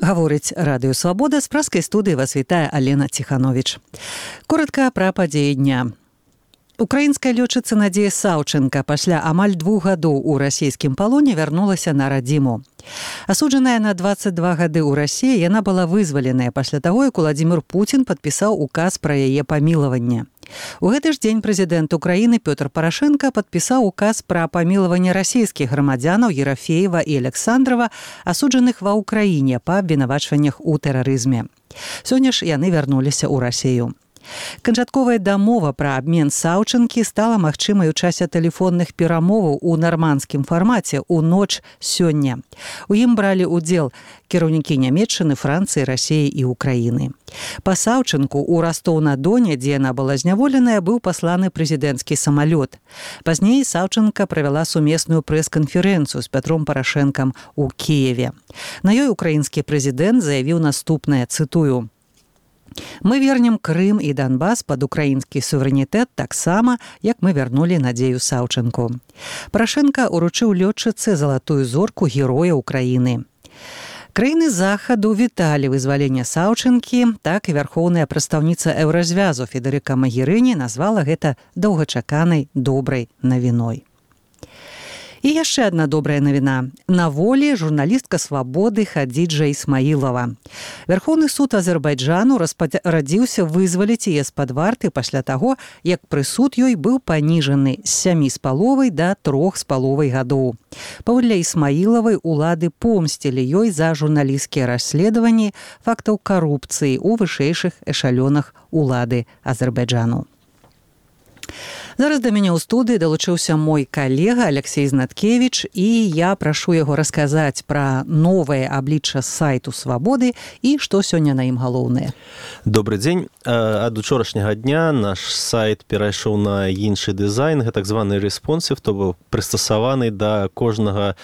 Гаворыць Радыё Свабода, з праскай студыі вас вітае Алена Ціхановіч. Коротка пра падзеі дня. Украінская лётчыца Надзея Саўчэнка пасля амаль 2 гадоў у расійскім палоне вярнулася на радзіму. Асуджаная на 22 гады ў Расіі, яна была вызваленая пасля таго, як Уладзімір Пуцін падпісаў указ пра яе памілаванне. У гэты ж дзень прэзідэнт Украіны Пётр Парашэнка падпісаў указ пра памілаванне расійскіх грамадзянаў Ерафеева і Александрова, асуджаных ва Ўкраіне па абвінавачваннях у тэрарызме. Сёння ж яны вярнуліся ў Расію. Канчатковая дамова пра абмен Саўчэнкі стала магчымай у часе тэлефонных перамоваў у нармандскім фармаце ў ноч сёння. У ім бралі ўдзел кіраўнікі Нямецчыны, Францыі, Расіі і Украіны. Па Саўчэнку ў Ростоў-на-Доне, дзе яна была зняволеная, быў пасланы прэзідэнцкі самалёт. Пазней Саўчэнка правяла сумесную прэс-канферэнцыю з Пятром Парашэнкам у Кіеве. На ёй украінскі прэзідэнт заявіў наступнае, цытую: «Мы вернем Крым і Донбас пад украінскі суверэнітэт таксама, як мы вярнулі Надзею Саўчэнку». Парашэнка уручыў лётчыцы залатую зорку Героя Украіны. Краіны захаду віталі вызваленне Саўчэнкі, так і вярхоўная прадстаўніца Еўразвязу Федэрыка Магерыні назвала гэта доўгачаканай добрай навіной. І яшчэ адна добрая навіна. На волі журналістка «Свабоды» Хадзіджа Ісмаілова. Вярхоўны суд Азербайджану распарадзіўся вызваліць яе з-пад варты пасля таго, як прысуд ёй быў паніжаны з 7,5 да 3,5 гадоў. Паводле Ісмаілавай, улады помсцілі ёй за журналісцкія расследаванні фактаў карупцыі ў вышэйшых эшалёнах улады Азербайджану. Зараз да мяне ў студыі далучыўся мой калега Алексей Знаткевіч, і я прашу яго расказаць пра новае аблічча сайту Свабоды і што сёння на ім галоўнае. Добры дзень. Ад учорашняга дня наш сайт перайшоў на іншы дызайн, гэта так званы responsive, то бок прыстасаваны да кожнага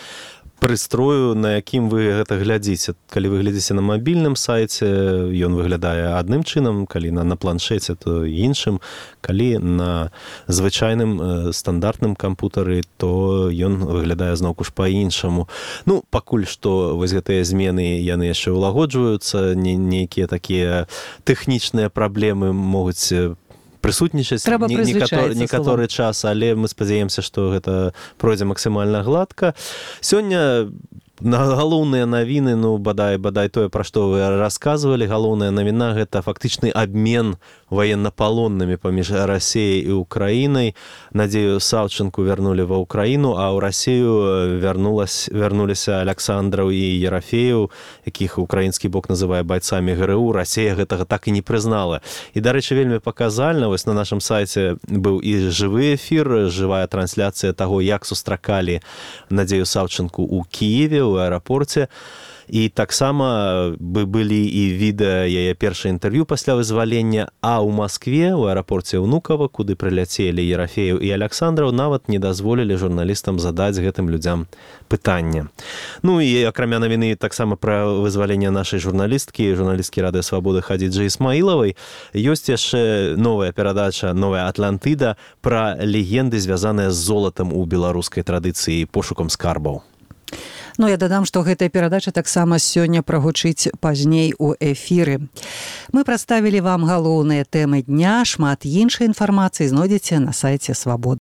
прыстрою, на якім вы гэта глядзіце. Калі вы глядзіце на мабільным сайце, ён выглядае адным чынам, калі на планшеце, то іншым. Калі на звычайным стандартным кампутары, то ён выглядае зноўку ж па-іншаму. Ну, пакуль што вось гэтыя змены, яны яшчэ ўлагоджваюцца, нейкія такія тэхнічныя праблемы могуць прысутнічаць некаторы час, але мы спадзяемся, што гэта пройдзе максімальна гладка. Сёння галоўныя навіны, бадай тое, пра што вы расказвалі, галоўная навіна — гэта фактычны абмен ваеннапалоннымі паміж Расіяй і Украінай. Надзею Саўчэнку вярнулі ва Ўкраіну, а ў Расію вярнуліся Александраў і Ерафееў, якіх украінскі бок называе байцамі ГРУ. Расія гэтага так і не прызнала. І, дарэчы, вельмі паказальна, вось на нашым сайце быў і жывы эфір, жывая трансляцыя таго, як сустракалі Надзею Саўчэнку ў Кіеве, у аэрапорце. І таксама былі і відэа яе першае інтэрв'ю пасля вызвалення, а ў Маскве, у аэрапорце Унукова, куды прыляцелі Ерафееў і Александраў, нават не дазволілі журналістам задаць гэтым людзям пытання. Ну і акрамя навіны таксама пра вызваленне нашай журналісткі Радыё Свабоды Хадзіджы Ісмаілавай, ёсць яшчэ новая перадача «Новая Атлантыда» пра легенды, звязаныя з золатам у беларускай традыцыі, пошукам скарбаў. Ну, я дадам, што гэтая перадача таксама сёння прагучыць пазней у эфіры. Мы прадставілі вам галоўныя тэмы дня, шмат іншай інфармацыі знойдзеце на сайце Свабоды.